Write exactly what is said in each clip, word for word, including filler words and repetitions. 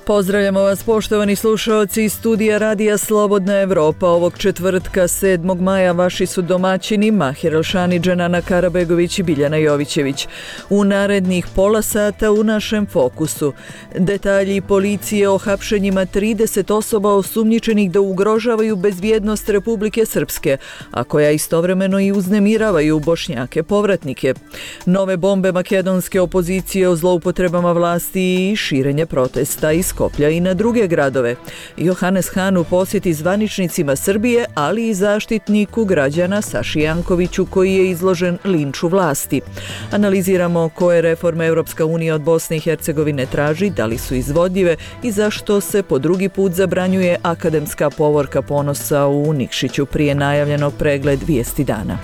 Pozdravljamo vas poštovani slušaoci iz studija Radija Slobodna Evropa. Ovog četvrtka sedmog maja vaši su domaćini Mahir Elšanić, Ana Karabegović i Biljana Jovićević. U narednih pola sata u našem fokusu detalji policije o hapšenjima trideset osoba osumnjičenih da ugrožavaju bezbjednost Republike Srpske, a koja istovremeno i uznemiravaju Bošnjake povratnike. Nove bombe makedonske opozicije o zloupotrebama vlasti i širenje protesta iz Skoplja i na druge gradove. Johannes Hahn u posjeti zvaničnicima Srbije, ali i zaštitniku građana Saši Jankoviću koji je izložen linču vlasti. Analiziramo koje reforme Europska unija od Bosne i Hercegovine traži, da li su izvodljive i zašto se po drugi put zabranjuje akademska povorka ponosa u Nikšiću prije najavljenog pregled vijesti dana.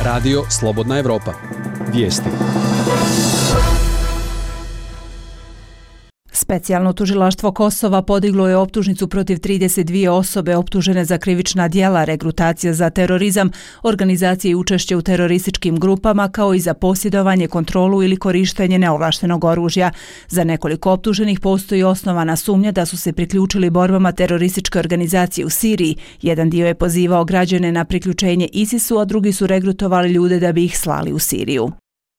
Radio Slobodna Evropa. Vijesti. Specijalno tužilaštvo Kosova podiglo je optužnicu protiv trideset dvije osobe optužene za krivična djela, regrutacija za terorizam, organizacije i učešće u terorističkim grupama, kao i za posjedovanje, kontrolu ili korištenje neovlaštenog oružja. Za nekoliko optuženih postoji osnovana sumnja da su se priključili borbama terorističke organizacije u Siriji. Jedan dio je pozivao građane na priključenje ISIS-u, a drugi su regrutovali ljude da bi ih slali u Siriju.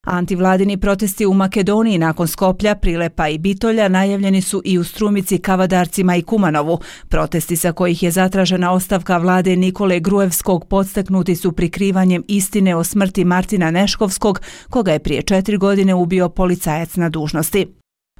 Antivladini protesti u Makedoniji nakon Skoplja, Prilepa i Bitolja najavljeni su i u Strumici, Kavadarcima i Kumanovu. Protesti sa kojih je zatražena ostavka vlade Nikole Gruevskog podstaknuti su prikrivanjem istine o smrti Martina Neškovskog, koga je prije četiri godine ubio policajac na dužnosti.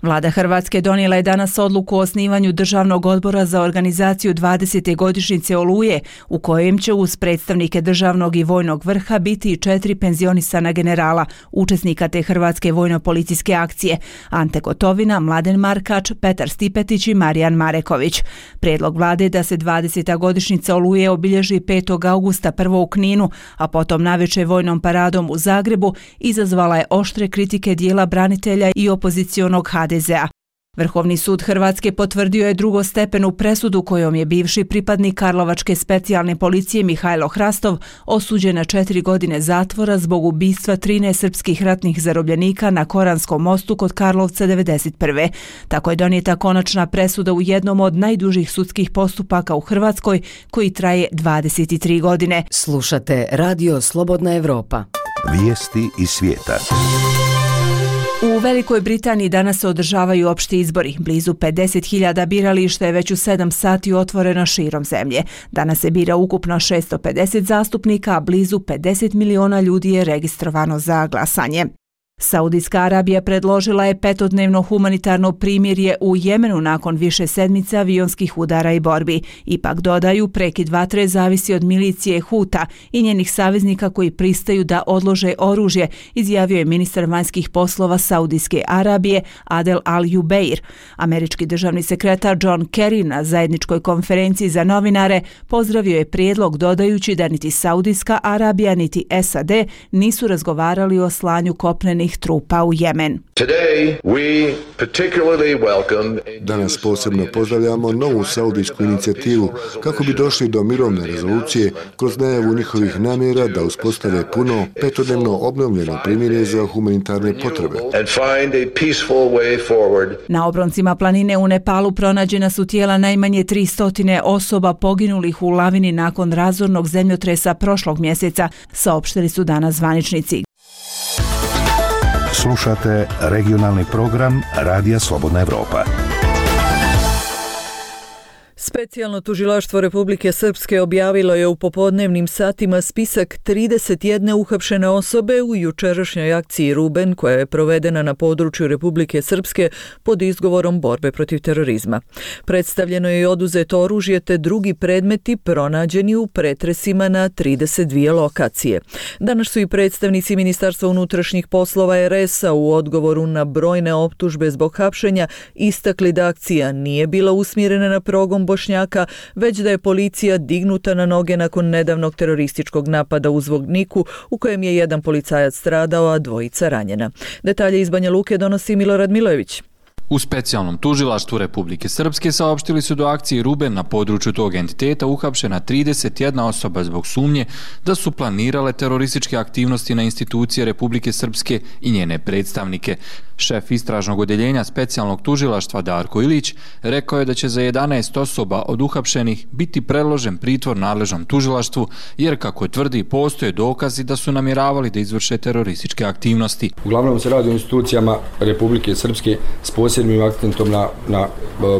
Vlada Hrvatske donijela je danas odluku o osnivanju Državnog odbora za organizaciju dvadesete godišnjice Oluje, u kojem će uz predstavnike državnog i vojnog vrha biti i četiri penzionisana generala, učesnika te Hrvatske vojno-policijske akcije: Ante Gotovina, Mladen Markač, Petar Stipetić i Marijan Mareković. Prijedlog vlade je da se dvadeseta godišnjica Oluje obilježi petog augusta prvo u Kninu, a potom navečer vojnom paradom u Zagrebu, izazvala je oštre kritike dijela branitelja i opozicionog ha de zea. Vrhovni sud Hrvatske potvrdio je drugostepenu presudu kojom je bivši pripadnik Karlovačke specijalne policije Mihajlo Hrastov osuđen na četiri godine zatvora zbog ubistva trinaest srpskih ratnih zarobljenika na Koranskom mostu kod Karlovca devedeset prve. Tako je donijeta konačna presuda u jednom od najdužih sudskih postupaka u Hrvatskoj, koji traje dvadeset tri godine. Slušate Radio Slobodna Evropa. Vijesti iz svijeta. U Velikoj Britaniji danas se održavaju opšti izbori. Blizu pedeset hiljada birališta je već u sedam sati otvoreno širom zemlje. Danas se bira ukupno šesto pedeset zastupnika, a blizu pedeset miliona ljudi je registrovano za glasanje. Saudijska Arabija predložila je petodnevno humanitarno primirje u Jemenu nakon više sedmice avionskih udara i borbi. Ipak dodaju, prekid vatre zavisi od milicije Huta i njenih saveznika koji pristaju da odlože oružje, izjavio je ministar vanjskih poslova Saudijske Arabije Adel Al-Jubeir. Američki državni sekretar John Kerry na zajedničkoj konferenciji za novinare pozdravio je prijedlog, dodajući da niti Saudijska Arabija niti S A D nisu razgovarali o slanju kopnenih trupa u Jemen. Danas posebno pozdravljamo novu saudijsku inicijativu kako bi došli do mirovne rezolucije kroz najavu njihovih namjera da uspostave puno petodnevno obnovljeno primirje za humanitarne potrebe. Na obroncima planine u Nepalu pronađena su tijela najmanje tristo osoba poginulih u lavini nakon razornog zemljotresa prošlog mjeseca, saopštili su danas zvaničnici. Slušate regionalni program Radija Slobodna Evropa. Specijalno tužilaštvo Republike Srpske objavilo je u popodnevnim satima spisak trideset jedne uhapšene osobe u jučerašnjoj akciji Ruben, koja je provedena na području Republike Srpske pod izgovorom borbe protiv terorizma. Predstavljeno je i oduzeto oružje te drugi predmeti pronađeni u pretresima na trideset dvije lokacije. Danas su i predstavnici Ministarstva unutrašnjih poslova er es a u odgovoru na brojne optužbe zbog hapšenja istakli da akcija nije bila usmjerena na progon Bošnjaka, već da je policija dignuta na noge nakon nedavnog terorističkog napada u Zvorniku, u kojem je jedan policajac stradao, a dvojica ranjena. Detalje iz Banja Luke donosi Milorad Milojević. U specijalnom tužilaštvu Republike Srpske saopštili su do akcije Ruben na području tog entiteta uhapšena trideset jedna osoba zbog sumnje da su planirale terorističke aktivnosti na institucije Republike Srpske i njene predstavnike. Šef istražnog odjeljenja specijalnog tužilaštva Darko Ilić rekao je da će za jedanaest osoba od uhapšenih biti predložen pritvor nadležnom tužilaštvu, jer kako tvrdi postoje dokazi da su namjeravali da izvrše terorističke aktivnosti. Uglavnom se radi o institucijama Republike Srpske s posebnim akcentom na, na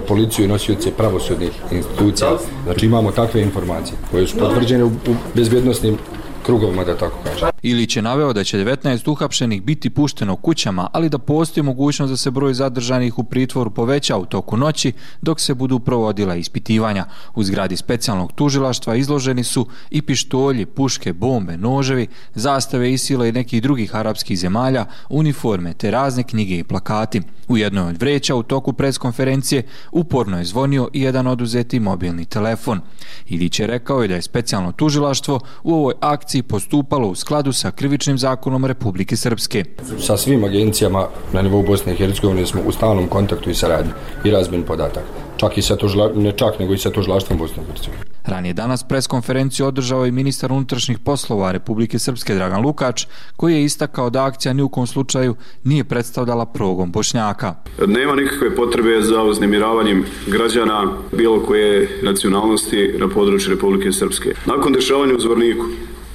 policiju i nosioce pravosudnih institucija. Znači imamo takve informacije koje su potvrđene u, u bezbjednostnim krugovima, da tako kažem. Ilić je naveo da će devetnaest uhapšenih biti pušteno kućama, ali da postoji mogućnost da se broj zadržanih u pritvoru poveća u toku noći dok se budu provodila ispitivanja. U zgradi specijalnog tužilaštva izloženi su i pištolji, puške, bombe, noževi, zastave Isila i nekih drugih arapskih zemalja, uniforme te razne knjige i plakati. U jednoj od vreća u toku preskonferencije uporno je zvonio i jedan oduzeti mobilni telefon. Ilić je rekao i da je specijalno tužilaštvo u ovoj akciji postupalo u skladu sa krivičnim zakonom Republike Srpske. Sa svim agencijama na nivou Bosne i Hercegovine smo u stalnom kontaktu i saradnji i razmjeni podataka. Čak i sa tužila, ne čak, nego i sa tužilaštvom Bosne i Hercegovine. Ranije danas preskonferenciju održao i ministar unutrašnjih poslova Republike Srpske Dragan Lukač, koji je istakao da akcija ni u kom slučaju nije predstavljala progon Bošnjaka. Nema nikakve potrebe za uznemiravanjem građana bilo koje nacionalnosti na području Republike Srpske. Nakon dešavanja u Zvorniku,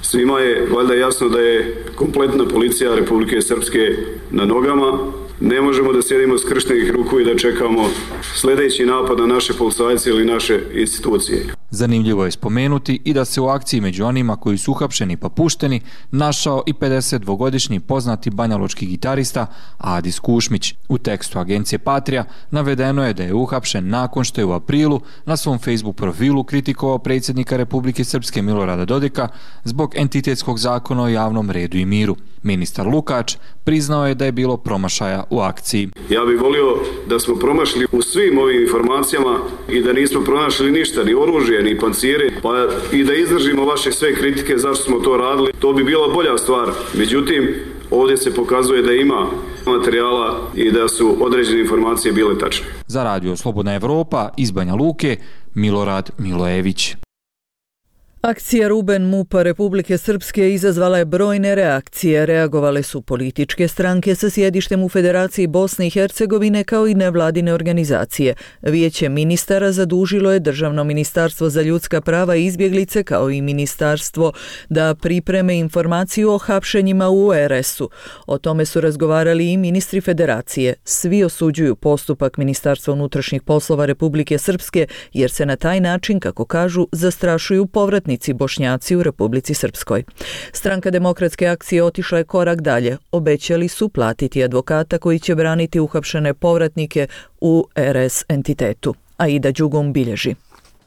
svima je valjda jasno da je kompletna policija Republike Srpske na nogama. Ne možemo da sjedimo skrštenih ruku i da čekamo sljedeći napad na naše policajce ili naše institucije. Zanimljivo je spomenuti i da se u akciji među onima koji su uhapšeni pa pušteni našao i pedesetdvogodišnji poznati banjalučki gitarista Adis Kušmić. U tekstu agencije Patria navedeno je da je uhapšen nakon što je u aprilu na svom Facebook profilu kritikovao predsjednika Republike Srpske Milorada Dodika zbog entitetskog zakona o javnom redu i miru. Ministar Lukač priznao je da je bilo promašaja u akciji. Ja bih volio da smo promašili u svim ovim informacijama i da nismo pronašli ništa, ni oružje, ni pancire, pa i da izdržimo vaše sve kritike zašto smo to radili. To bi bila bolja stvar. Međutim, ovdje se pokazuje da ima materijala i da su određene informacije bile tačne. Za Radio Slobodna Evropa iz Banja Luke, Milorad Milojević. Akcija Ruben MUP-a Republike Srpske izazvala je brojne reakcije. Reagovale su političke stranke sa sjedištem u Federaciji Bosne i Hercegovine kao i nevladine organizacije. Vijeće ministara zadužilo je Državno ministarstvo za ljudska prava i izbjeglice kao i ministarstvo da pripreme informaciju o hapšenjima u er es-u. O tome su razgovarali i ministri Federacije. Svi osuđuju postupak Ministarstva unutrašnjih poslova Republike Srpske jer se na taj način, kako kažu, zastrašuju povratnici Bošnjaci u Republici Srpskoj. Stranka Demokratske akcije otišla je korak dalje. Obećali su platiti advokata koji će braniti uhapšene povratnike u er es entitetu. Aida Đugum bilježi.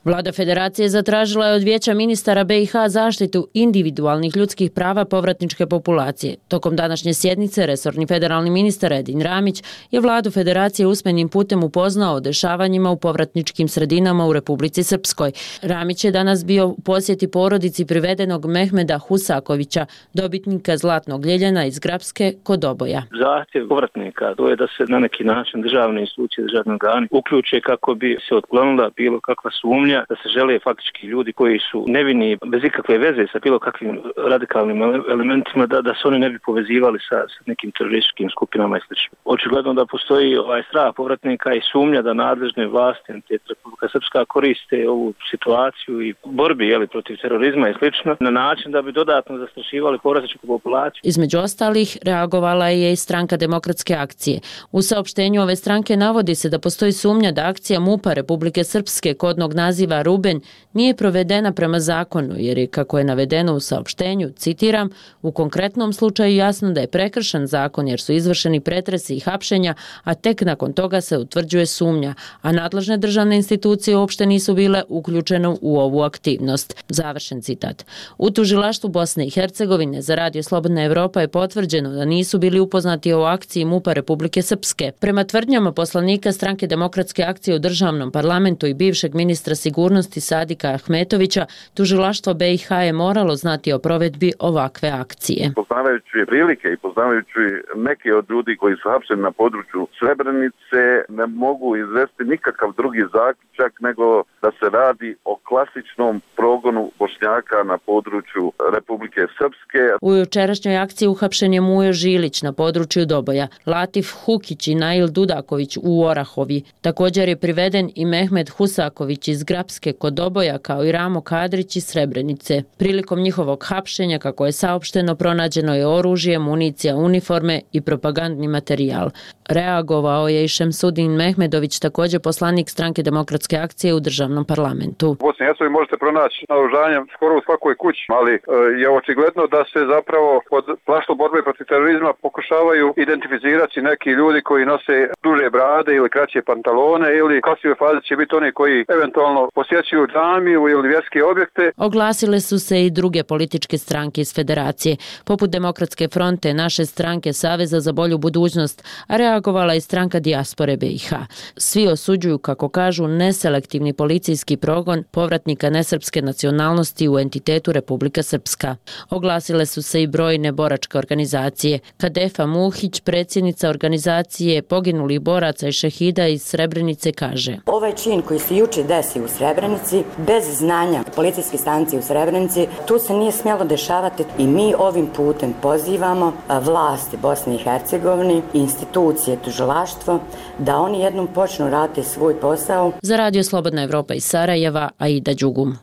Vlada Federacije zatražila je od Vijeća ministara be i ha zaštitu individualnih ljudskih prava povratničke populacije. Tokom današnje sjednice resorni federalni ministar Edin Ramić je vladu Federacije usmenim putem upoznao o dešavanjima u povratničkim sredinama u Republici Srpskoj. Ramić je danas bio u posjeti porodici privedenog Mehmeda Husakovića, dobitnika Zlatnog ljeljena iz Grapske kod Oboja. Zahtjev povratnika to je da se na neki način državne institucije, državni organi uključe kako bi se otklonila bilo kakva sumnja da se žele faktički ljudi koji su nevini bez ikakve veze sa bilo kakvim radikalnim elementima da, da se oni ne bi povezivali sa, sa nekim terorističkim skupinama i sl. Očigledno da postoji ovaj strah povratnika i sumnja da nadležne vlasti Republika Srpska koriste ovu situaciju i borbi jeli, protiv terorizma i sl. Na način da bi dodatno zastrašivali povratničku populaciju. Između ostalih reagovala je i stranka Demokratske akcije. U saopštenju ove stranke navodi se da postoji sumnja da akcija MUP-a Republike Srpske kodnog naziva Ruben nije provedena prema zakonu jer je, kako je navedeno u saopštenju, citiram, u konkretnom slučaju jasno da je prekršen zakon jer su izvršeni pretresi i hapšenja, a tek nakon toga se utvrđuje sumnja, a nadležne državne institucije uopšte nisu bile uključene u ovu aktivnost. Završen citat. U tužilaštvu Bosne i Hercegovine za Radio Slobodna Evropa je potvrđeno da nisu bili upoznati o akciji MUP-a Republike Srpske. Prema tvrdnjama poslanika stranke Demokratske akcije u državnom parlamentu i bivšeg ministra sigurnosti Sadika Ahmetovića, tužilaštvo be i ha je moralo znati o provedbi ovakve akcije. Poznavajući prilike i poznavajući neke od ljudi koji su hapšeni na području Srebrenice, ne mogu izvesti nikakav drugi zaključak nego da se radi o klasičnom progonu Bošnjaka Bošnjaka na području Republike Srpske. U jučerašnjoj akciji uhapšen je Mujo Žilić na području Doboja, Latif Hukić i Nail Dudaković u Orahovi. Također je priveden i Mehmed Husaković iz Grapske kod Doboja, kao i Ramo Kadrić iz Srebrenice. Prilikom njihovog hapšenja, kako je saopšteno, pronađeno je oružje, municija, uniforme i propagandni materijal. Reagovao je i Šemsudin Mehmedović, također poslanik Stranke demokratske akcije u državnom parlamentu. U Bosni i Hercegovini možete pronaći naoružanje skoro u svakoj kući, ali e, je očigledno da se zapravo pod plaštom borbe protiv terorizma pokušavaju identificirati neki ljudi koji nose duže brade ili kraće pantalone, ili u kasnijoj fazi će biti oni koji eventualno posjećuju džamiju ili vjerske objekte. Oglasile su se i druge političke stranke iz federacije, poput Demokratske fronte, Naše stranke, Saveza za bolju budućnost, a reagovala i stranka Dijaspore B i H. Svi osuđuju, kako kažu, neselektivni policijski progon povratnika nesrpske nacionalnosti u entitetu Republika Srpska. Oglasile su se i brojne boračke organizacije. Kadefa Muhić, predsjednica organizacije poginulih boraca i šehida iz Srebrenice, kaže: Ovaj čin koji se juče desi u Srebrenici, bez znanja policijske stanice u Srebrenici, tu se nije smjelo dešavati i mi ovim putem pozivamo vlasti Bosne i Hercegovine, institucije, tužilaštvo, da oni jednom počnu raditi svoj posao. Za Radio Slobodna Evropa iz Sarajeva, Aida Đugum.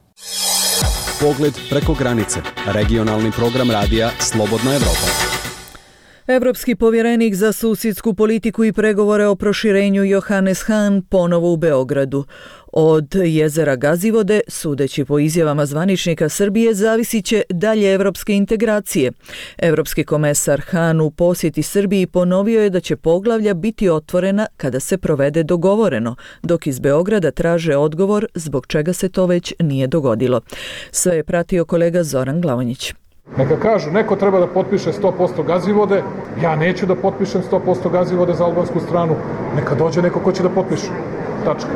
Pogled preko granice. Regionalni program radija Slobodna Evropa. Evropski povjerenik za susjedsku politiku i pregovore o proširenju Johannes Hahn ponovo u Beogradu. Od jezera Gazivode, sudeći po izjavama zvaničnika Srbije, zavisit će dalje evropske integracije. Evropski komesar Hahn u posjeti Srbiji ponovio je da će poglavlja biti otvorena kada se provede dogovoreno, dok iz Beograda traže odgovor zbog čega se to već nije dogodilo. Sve je pratio kolega Zoran Glavonjić. Neka kažu, neko treba da potpiše sto posto Gazivode, ja neću da potpišem sto posto Gazivode za albansku stranu, neka dođe neko ko će da potpiše. Tačka.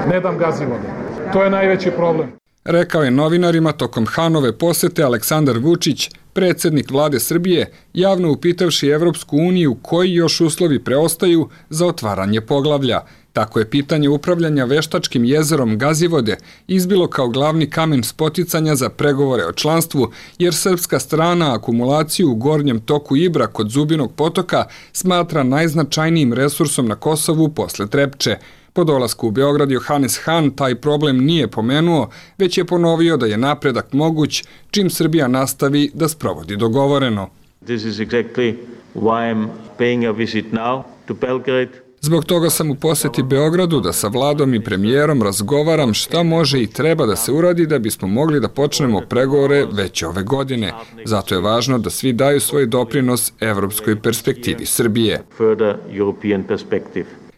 Ne dam Gazivode. To je najveći problem. Rekao je novinarima tokom Hanove posete Aleksandar Vučić, predsjednik vlade Srbije, javno upitavši Evropsku uniju koji još uslovi preostaju za otvaranje poglavlja. Tako je pitanje upravljanja veštačkim jezerom Gazivode izbilo kao glavni kamen spoticanja za pregovore o članstvu, jer srpska strana akumulaciju u gornjem toku Ibra kod Zubinog potoka smatra najznačajnijim resursom na Kosovu posle Trepče. Po dolasku u Beograd Johannes Hahn taj problem nije pomenuo, već je ponovio da je napredak moguć čim Srbija nastavi da sprovodi dogovoreno. This is exactly why I'm paying a visit now to Belgrade. Zbog toga sam u posjeti Beogradu da sa vladom i premijerom razgovaram šta može i treba da se uradi da bismo mogli da počnemo pregovore već ove godine. Zato je važno da svi daju svoj doprinos evropskoj perspektivi Srbije.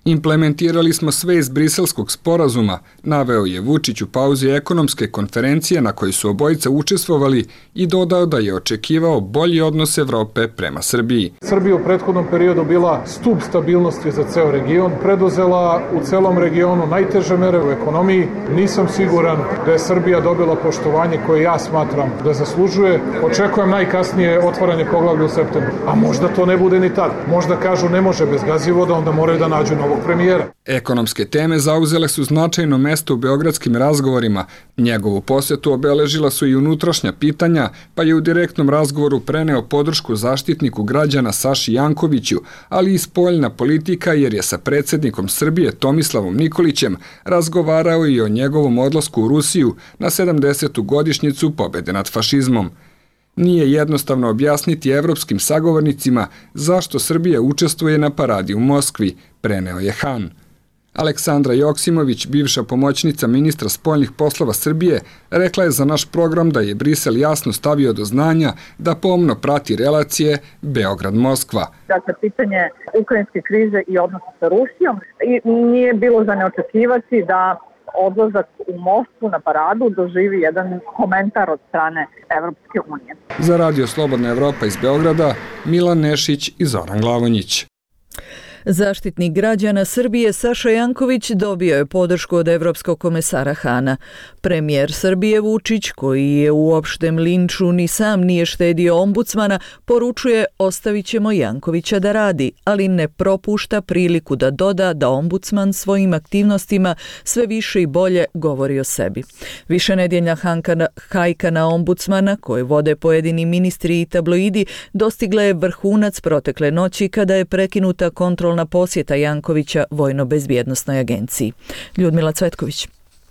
Implementirali smo sve iz briselskog sporazuma, naveo je Vučić u pauzi ekonomske konferencije na kojoj su obojica učestvovali i dodao da je očekivao bolji odnos Evrope prema Srbiji. Srbija u prethodnom periodu bila stub stabilnosti za ceo region, preduzela u celom regionu najteže mere u ekonomiji. Nisam siguran da je Srbija dobila poštovanje koje ja smatram da zaslužuje. Očekujem najkasnije otvaranje poglavlja u septembru. A možda to ne bude ni tad. Možda kažu ne može bez Gazivoda, onda moraju da nađu novo premijera. Ekonomske teme zauzele su značajno mesto u beogradskim razgovorima. Njegovu posjetu obeležila su i unutrašnja pitanja, pa je u direktnom razgovoru preneo podršku zaštitniku građana Saši Jankoviću, ali i spoljna politika jer je sa predsjednikom Srbije Tomislavom Nikolićem razgovarao i o njegovom odlasku u Rusiju na sedamdesetu godišnjicu pobjede nad fašizmom. Nije jednostavno objasniti evropskim sagovornicima zašto Srbija učestvuje na paradi u Moskvi, preneo je Hahn. Aleksandra Joksimović, bivša pomoćnica ministra spoljnih poslova Srbije, rekla je za naš program da je Brisel jasno stavio do znanja da pomno prati relacije Beograd-Moskva. Dakle, pitanje ukrajinske krize i odnosa sa Rusijom i nije bilo za neočekivati da odlazak u Moskvu na paradu doživi jedan komentar od strane Evropske unije. Za Radio Slobodna Evropa iz Beograda, Milan Nešić i Zoran Glavonjić. Zaštitnik građana Srbije Saša Janković dobio je podršku od evropskog komesara Hana. Premijer Srbije Vučić, koji je u opštem linču ni sam nije štedio ombudsmana, poručuje ostavit ćemo Jankovića da radi, ali ne propušta priliku da doda da ombudsman svojim aktivnostima sve više i bolje govori o sebi. Višenedjeljna hajka na ombudsmana, koje vode pojedini ministri i tabloidi, dostigla je vrhunac protekle noći kada je prekinuta kontrolna posjeta Jankovića Vojno-bezbjednosnoj agenciji. Ljudmila Cvetković.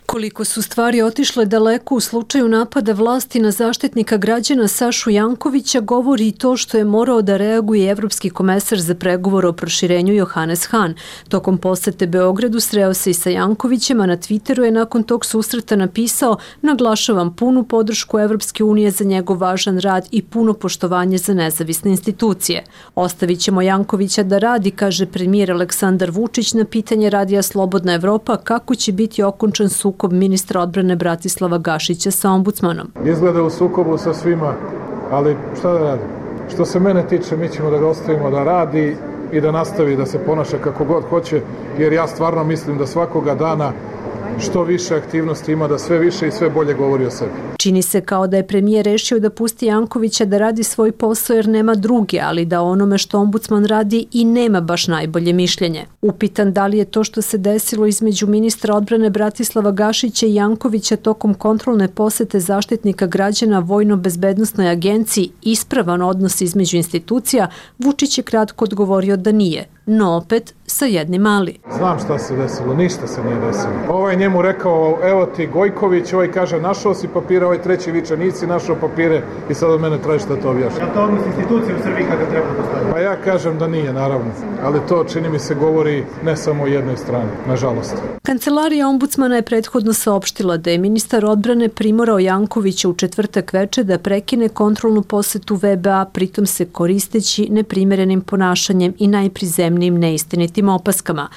Koliko su stvari otišle daleko u slučaju napada vlasti na zaštitnika građana Sašu Jankovića govori i to što je morao da reaguje evropski komesar za pregovor o proširenju Johannes Hahn. Tokom posete Beogradu sreo se i sa Jankovićem, a na Twitteru je nakon tog susreta napisao: naglašavam punu podršku Evropske unije za njegov važan rad i puno poštovanje za nezavisne institucije. Ostavit ćemo Jankovića da radi, kaže premijer Aleksandar Vučić na pitanje Radija Slobodna Evropa kako će biti okončan sukob ministra odbrane Bratislava Gašića sa ombudsmanom. Izgleda u sukobu sa svima, ali šta da radi? Što se mene tiče, mi ćemo da ga ostavimo da radi i da nastavi da se ponaša kako god hoće, jer ja stvarno mislim da svakoga dana što više aktivnosti ima, da sve više i sve bolje govori o sebi. Čini se kao da je premijer rešio da pusti Jankovića da radi svoj posao jer nema druge, ali da onome što ombudsman radi i nema baš najbolje mišljenje. Upitan da li je to što se desilo između ministra odbrane Bratislava Gašića i Jankovića tokom kontrolne posete zaštitnika građana Vojno-bezbednosnoj agenciji ispravan odnos između institucija, Vučić je kratko odgovorio da nije, no opet sa jednim ali. Znam šta se desilo, ništa se nije desilo. Ovaj njemu rekao, evo ti Gojković, ovaj kaže našao si papire, ovaj treći viče nisi našao papire i sad od mene tražiš da to objašnjam. Je to odnos institucije u Srbiji kada treba postaviti? Pa ja kažem da nije, naravno, ali to čini mi se govori ne samo o jednoj strani, nažalost. Kancelarija ombudsmana je prethodno saopštila da je ministar odbrane primorao Jankovića u četvrtak veče da prekine kontrolnu posetu V B A, pritom se koristeći neprimerenim ponašanjem i najprizemnijim neistinitim opaskama.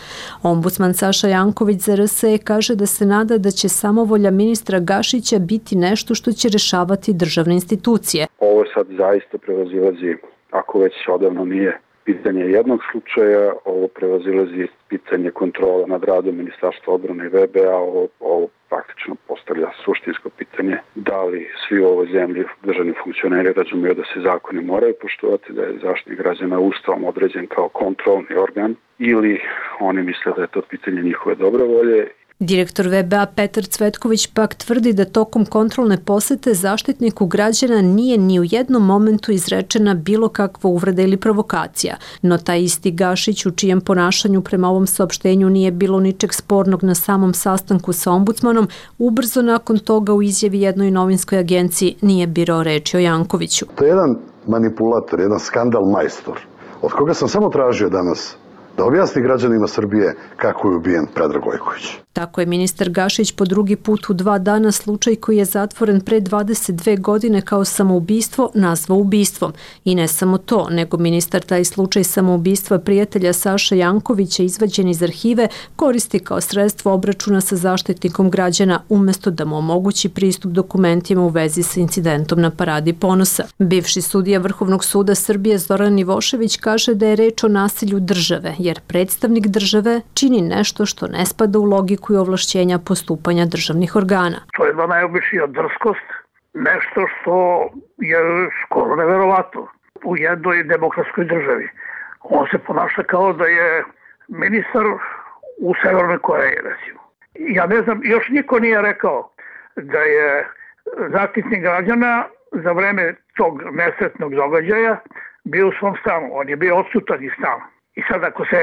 Ombudsman Saša Janković za R S E kaže da se nada da će samovolja ministra Gašića biti nešto što će rešavati državne institucije. Ovo sad zaista prevazilazi, ako već odavno nije pitanje jednog slučaja, ovo prevazilazi pitanje kontrola nad radom Ministarstva odbrane i V B A, ovo, ovo praktično postavlja suštinsko pitanje da li svi u ovoj zemlji državni funkcioneri razumeju da se zakoni moraju poštovati, da je zaštitnik građana ustavom određen kao kontrolni organ ili oni misle da je to pitanje njihove dobre volje. Direktor V B A Petar Cvetković pak tvrdi da tokom kontrolne posete zaštitniku građana nije ni u jednom momentu izrečena bilo kakva uvreda ili provokacija, no taj isti Gašić, u čijem ponašanju prema ovom saopštenju nije bilo ničeg spornog na samom sastanku sa ombudsmanom, ubrzo nakon toga u izjavi jednoj novinskoj agenciji nije birao reči o Jankoviću. To je jedan manipulator, jedan skandal majstor, od koga sam samo tražio danas da objasni građanima Srbije kako je ubijen Predrag Gojković. Tako je ministar Gašić po drugi put u dva dana slučaj koji je zatvoren pre dvadeset dve godine kao samoubistvo nazvao ubistvom. I ne samo to, nego ministar taj slučaj samoubistva prijatelja Saše Jankovića izvađen iz arhive koristi kao sredstvo obračuna sa zaštitnikom građana umjesto da mu omogući pristup dokumentima u vezi sa incidentom na Paradi ponosa. Bivši sudija Vrhovnog suda Srbije Zoran Ivošević kaže da je reč o nasilju države, jer predstavnik države čini nešto što ne spada u logiku i ovlašćenja postupanja državnih organa. To je jedna najobičnija drskost, nešto što je skoro neverovatno u jednoj demokratskoj državi. On se ponaša kao da je ministar u Severnoj Koreji, recimo. Ja ne znam, još niko nije rekao da je zaštitnik građana za vreme tog nesretnog događaja bio u svom stanu. On je bio odsutan iz stana. I sad ako se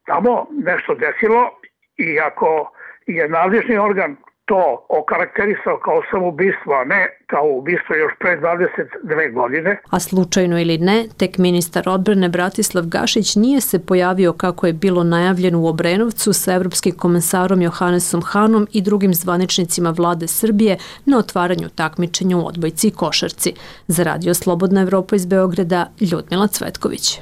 tamo nešto desilo i ako je nadležni organ to okarakterisao kao samoubistvo, a ne kao ubistvo još pre dvadeset dve godine. A slučajno ili ne, tek ministar odbrane Bratislav Gašić nije se pojavio kako je bilo najavljeno u Obrenovcu sa evropskim komesarom Johannesom Hahnom i drugim zvaničnicima vlade Srbije na otvaranju takmičenja u odbojci i košarci. Za Radio Slobodna Evropa iz Beograda, Ljudmila Cvetković.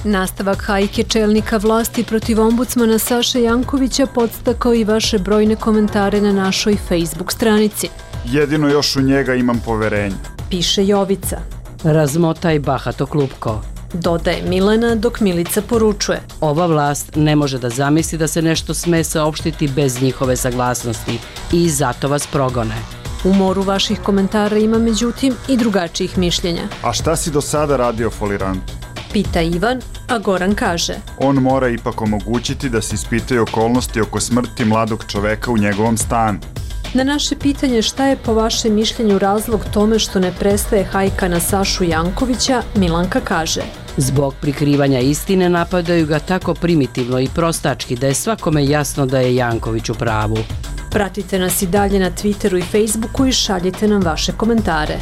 Nastavak hajke čelnika vlasti protiv ombudsmana Saše Jankovića podstakao i vaše brojne komentare na našoj Facebook stranici. Jedino još u njega imam poverenje. Piše Jovica. Razmotaj bahato klupko. Dodaje Milena dok Milica poručuje. Ova vlast ne može da zamisli da se nešto sme saopštiti bez njihove saglasnosti i zato vas progone. U moru vaših komentara ima međutim i drugačijih mišljenja. A šta si do sada radio folirantu? Pita Ivan, a Goran kaže. On mora ipak omogućiti da se ispitaju okolnosti oko smrti mladog čoveka u njegovom stanu. Na naše pitanje šta je po vašem mišljenju razlog tome što ne prestaje hajka na Sašu Jankovića, Milanka kaže. Zbog prikrivanja istine napadaju ga tako primitivno i prostački da je svakome jasno da je Janković u pravu. Pratite nas i dalje na Twitteru i Facebooku i šaljite nam vaše komentare.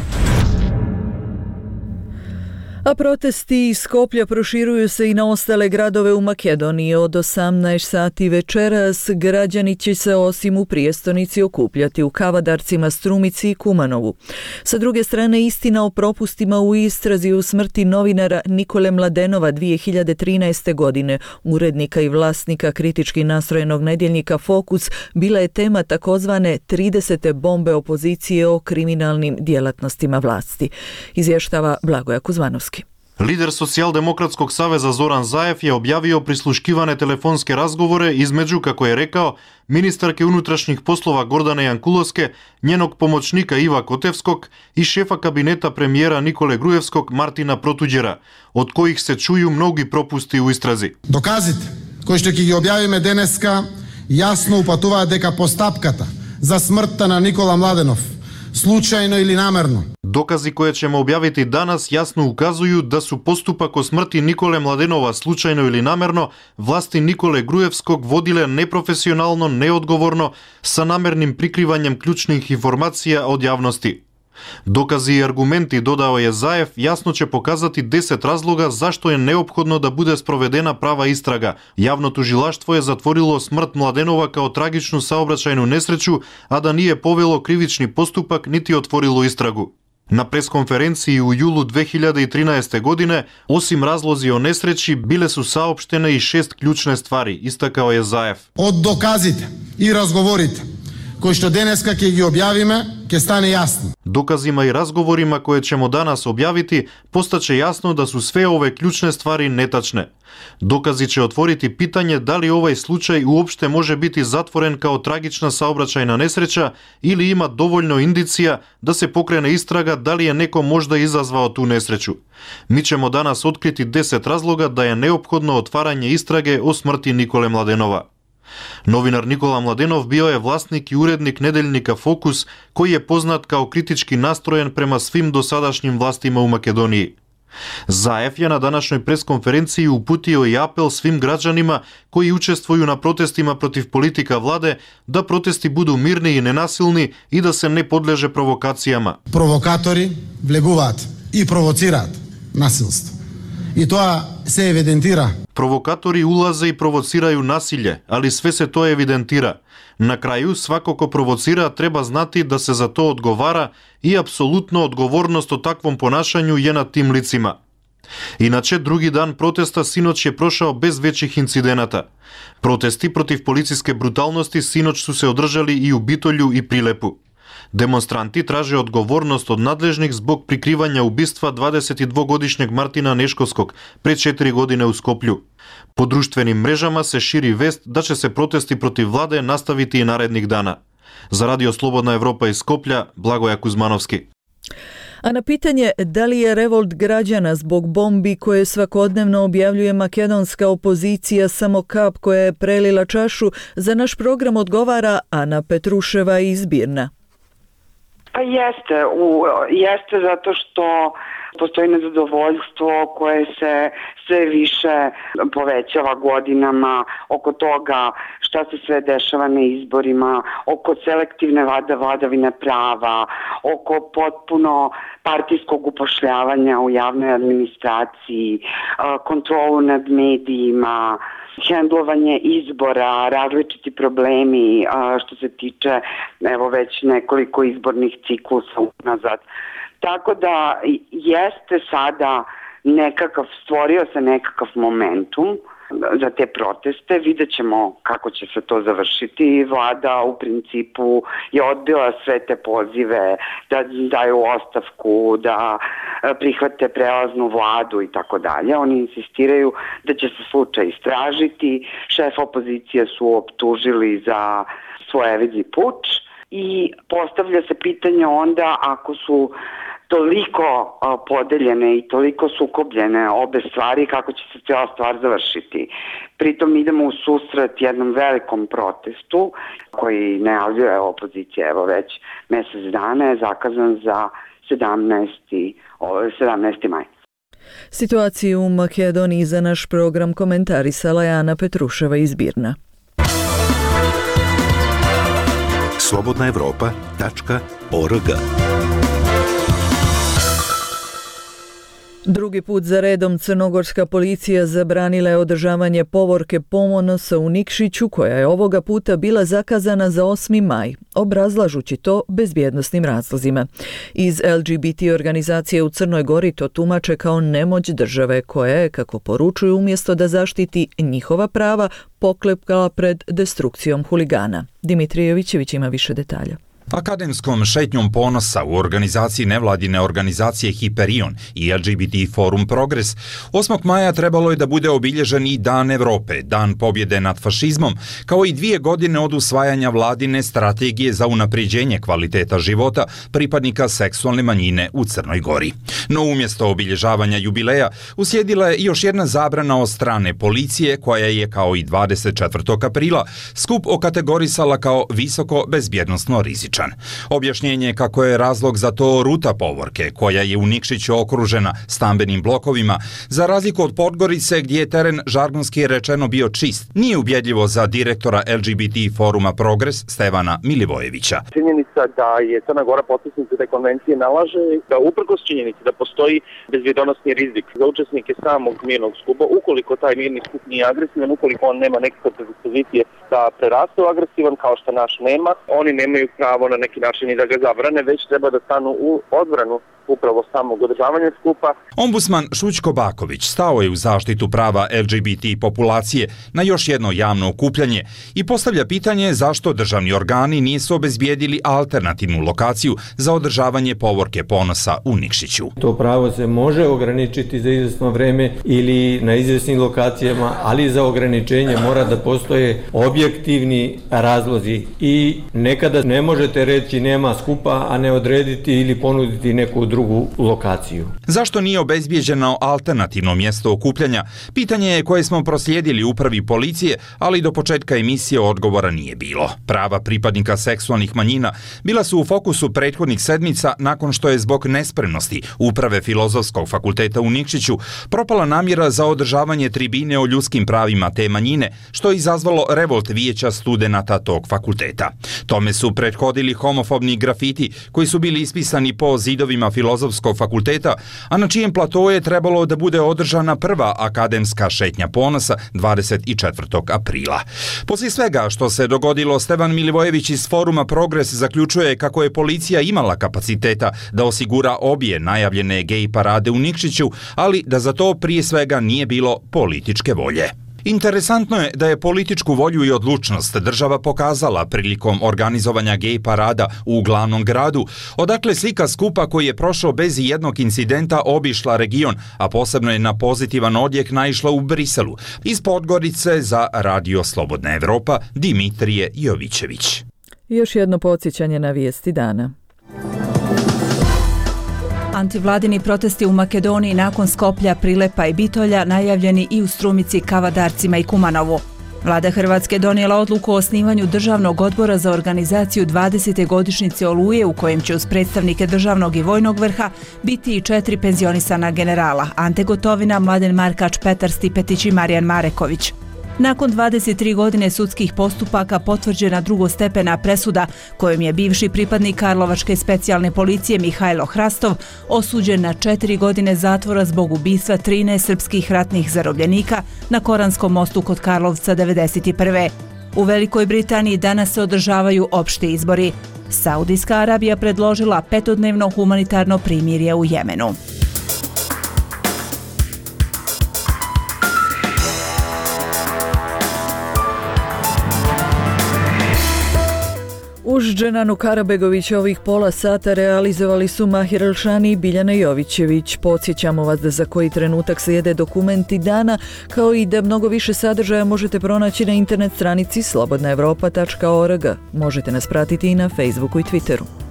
A protesti iz Skoplja proširuju se i na ostale gradove u Makedoniji. Od osamnaest sati večeras građani će se osim u prijestonici okupljati u Kavadarcima, Strumici i Kumanovu. Sa druge strane, istina o propustima u istrazi u smrti novinara Nikole Mladenova dvije hiljade trinaeste. godine, urednika i vlasnika kritički nastrojenog nedjeljnika Fokus, bila je tema takozvane tridesete bombe opozicije o kriminalnim djelatnostima vlasti. Izvještava Blagoja Kuzmanovski. Лидер Социјалдемократскog saveza Зоран Заев je objavio prisluškivane telefonske razgovore između, kako je rekao, ministarke unutrašnjih poslova Gordane Jankulовske, njenog pomoćnika Iva Kotevskog i šefa kabineta premijera Николе Груевскog Мартина Протуđера, od kojih se čuju mnogi propusti u istrazi. Доказите, кои што ќе ги објавиме денеска, јасно упатуваат дека постапката за смртта на Никола Младенов, случајно или намерно. Докази koje ćemo objaviti danas jasno ukazuju da su postupak o smrti Nikole Mladenova slučajno ili namerno vlasti Nikole Grujevskog vodile neprofesionalno, neodgovorno, sa namernim prikrivanjem ključnih informacija od javnosti. Dokazi i argumenti, dodao je Zaev, jasno će pokazati deset razloga zašto je neophodno da bude sprovedena prava istraga. Javno tužilaštvo je zatvorilo smrt Mladenova kao tragičnu saobraćajnu nesreću, a da nije povelo krivični postupak niti otvorilo istragu. Na preskonferenciji u julu dve hiljade trinaeste. godine, osim razlozi o nesreći, bile su saopštene i šest ključne stvari, istakao je Zaev. Od doказите и разговорите кои што денеска ќе ги објавиме, ќе стане јасно. Доказима и разговорима koje ćemo danas objaviti, postaće jasno da su sve ove ključne stvari netačne. Dokazi će otvoriti pitanje da li ovaj slučaj uopšte može biti zatvoren kao tragična saobraćajna nesreća ili ima dovoljno indicija da se pokrene istraga da li je neko možda izazvao tu nesreću. Mi ćemo danas otkriti deset razloga da je neophodno otvaranje istrage o smrti Nikole Mladenova. Novinar Nikola Mladenov bio je vlasnik i urednik nedeljnika Fokus, koji je poznat kao kritički nastrojen prema svim dosadašnjim vlastima u Makedoniji. Zaev je na današnjoj preskonferenciji uputio i apel svim građanima koji učestvuju na protestima protiv politika vlade da protesti budu mirni i nenasilni i da se ne podleže provokacijama. Провокатори влегуваат и провоцираат насилство. I to se evidentira. Provokatori ulaze i provociraju nasilje, ali sve se to evidentira. Na kraju, svako ko provocira treba znati da se za to odgovara i apsolutno odgovornost o takvom ponašanju je na tim licima. Inače, drugi dan protesta sinoć je prošao bez većih incidenata. Protesti protiv policijske brutalnosti sinoć su se održali i u Bitolju i Prilepu. Demonstranti traže odgovornost od nadležnih zbog prikrivanja ubistva dvadesetdvogodišnjeg Martina Neškovskog pre četiri godine u Skoplju. Po društvenim mrežama se širi vest da će se protesti protiv vlade nastaviti i narednih dana. Za Radio Slobodna Evropa iz Skoplja, Blagoja Kuzmanovski. A na pitanje da li je revolt građana zbog bombi koje svakodnevno objavljuje makedonska opozicija samo kap koja je prelila čašu, za naš program odgovara Ana Petruševa iz Birna. Pa jeste, u, jeste zato što postoji nezadovoljstvo koje se sve više povećava godinama oko toga šta se sve dešava na izborima, oko selektivne vlada, vladavine prava, oko potpuno partijskog upošljavanja u javnoj administraciji, kontrolu nad medijima, hendlovanje izbora, različiti problemi što se tiče evo već nekoliko izbornih ciklusa unazad. Tako da jeste sada nekakav, stvorio se nekakav momentum za te proteste. Vidjet ćemo kako će se to završiti. Vlada u principu je odbila sve te pozive da daju ostavku, da prihvate prelaznu vladu i tako dalje. Oni insistiraju da će se slučaj istražiti. Šef opozicije su optužili za svojevidni puč i postavlja se pitanje onda ako su toliko podeljene i toliko sukobljene obe stvari, kako će se cijela stvar završiti. Pritom idemo u susret jednom velikom protestu koji najavljuje opozicija, evo već mjesec dana je zakazan za sedamnaesti maj. Situaciju u Makedoniji za naš program komentarisala je Ana Petruševa iz Birna. slobodna evropa tačka org. Drugi put za redom crnogorska policija zabranila je održavanje povorke Ponosa u Nikšiću, koja je ovoga puta bila zakazana za osmi maj, obrazlažući to bezbjednosnim razlozima. Iz L G B T organizacije u Crnoj Gori to tumače kao nemoć države koja je, kako poručuju, umjesto da zaštiti njihova prava, poklepkala pred destrukcijom huligana. Dimitrije Jovićević ima više detalja. Akademskom šetnjom ponosa u organizaciji nevladine organizacije Hiperion i L G B T Forum Progres osmog maja trebalo je da bude obilježen i Dan Evrope, Dan pobjede nad fašizmom, kao i dvije godine od usvajanja vladine strategije za unapređenje kvaliteta života pripadnika seksualne manjine u Crnoj Gori. No umjesto obilježavanja jubileja uslijedila je još jedna zabrana od strane policije koja je, kao i dvadeset četvrtog aprila, skup okategorisala kao visoko bezbjednosno rizičan. Objašnjenje je kako je razlog za to ruta povorke, koja je u Nikšiću okružena stambenim blokovima, za razliku od Podgorice gdje je teren žargonski rečeno bio čist. Nije ubjedljivo za direktora L G B T Foruma Progres Stevana Milivojevića. Činjenica da je Crna Gora potpisnica te konvencije nalaže da uprkos činjenici da postoji bezbjednosni rizik za učesnike samog mirnog skupa, ukoliko taj mirni skup nije agresivan, ukoliko on nema nekakve predispozicije da preraste u agresivan kao što naš nema, oni nemaju pravo na neki način i da ga zabrane, već treba da stanu u odbranu upravo samog održavanja skupa. Ombudsman Šućko Baković stao je u zaštitu prava L G B T populacije na još jedno javno okupljanje i postavlja pitanje zašto državni organi nisu obezbijedili alternativnu lokaciju za održavanje povorke Ponosa u Nikšiću. To pravo se može ograničiti za izvjesno vreme ili na izvjesnim lokacijama, ali za ograničenje mora da postoje objektivni razlozi i nekada ne možete reći nema skupa, a ne odrediti ili ponuditi neku drugu lokaciju. Zašto nije obezbijeđeno alternativno mjesto okupljanja? Pitanje je koje smo proslijedili upravi policije, ali do početka emisije odgovora nije bilo. Prava pripadnika seksualnih manjina bila su u fokusu prethodnih sedmica nakon što je zbog nespremnosti uprave Filozofskog fakulteta u Nikšiću propala namjera za održavanje tribine o ljudskim pravima te manjine, što je izazvalo revolt vijeća studenata tog fakulteta. Tome su prethodili homofobni grafiti koji su bili ispisani po zidovima Filozofskog fakulteta, a na čijem platovu je trebalo da bude održana prva akademska šetnja ponosa dvadeset četvrtog aprila. Poslije svega što se dogodilo, Stevan Milivojević iz Foruma Progres zaključuje kako je policija imala kapaciteta da osigura obje najavljene gej parade u Nikšiću, ali da za to prije svega nije bilo političke volje. Interesantno je da je političku volju i odlučnost država pokazala prilikom organizovanja gej parada u glavnom gradu, odakle slika skupa koji je prošao bez jednog incidenta obišla region, a posebno je na pozitivan odjek naišla u Briselu. Iz Podgorice za Radio Slobodna Evropa, Dimitrije Jovićević. Još jedno podsjećanje na vijesti dana. Antivladini protesti u Makedoniji nakon Skoplja, Prilepa i Bitolja najavljeni i u Strumici, Kavadarcima i Kumanovu. Vlada Hrvatske donijela odluku o osnivanju Državnog odbora za organizaciju dvadesete godišnjice Oluje, u kojem će uz predstavnike državnog i vojnog vrha biti i četiri penzionisana generala: Ante Gotovina, Mladen Markač, Petar Stipetić i Marijan Mareković. Nakon dvadeset tri godine sudskih postupaka potvrđena drugostepena presuda kojom je bivši pripadnik Karlovačke specijalne policije Mihajlo Hrastov osuđen na četiri godine zatvora zbog ubistva trinaest srpskih ratnih zarobljenika na Koranskom mostu kod Karlovca devedeset prve. U Velikoj Britaniji danas se održavaju opšti izbori. Saudijska Arabija predložila petodnevno humanitarno primirje u Jemenu. Uz Dženanu Karabegović ovih pola sata realizovali su Mahir Elšani i Biljana Jovićević. Podsjećamo vas da za koji trenutak slijede dokumenti dana, kao i da mnogo više sadržaja možete pronaći na internet stranici slobodna evropa tačka org. Možete nas pratiti i na Facebooku i Twitteru.